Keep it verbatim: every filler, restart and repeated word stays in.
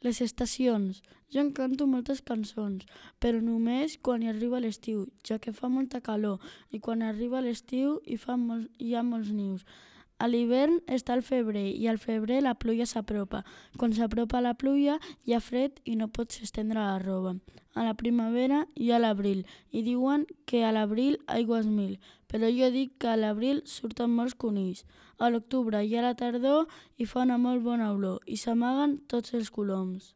Les estacions. Jo en canto moltes cançons, però només quan hi arriba l'estiu, ja que fa molta calor, i quan arriba l'estiu hi, fa molts, hi ha molts nius. A l'hivern està el febrer i al febrer la pluja s'apropa. Quan s'apropa la pluja hi ha fred i no pots estendre la roba. A la primavera hi ha l'abril i diuen que a l'abril aigües mil, però jo dic que a l'abril surten molts conills. A l'octubre hi ha la tardor i fa una molt bona olor i s'amaguen tots els coloms.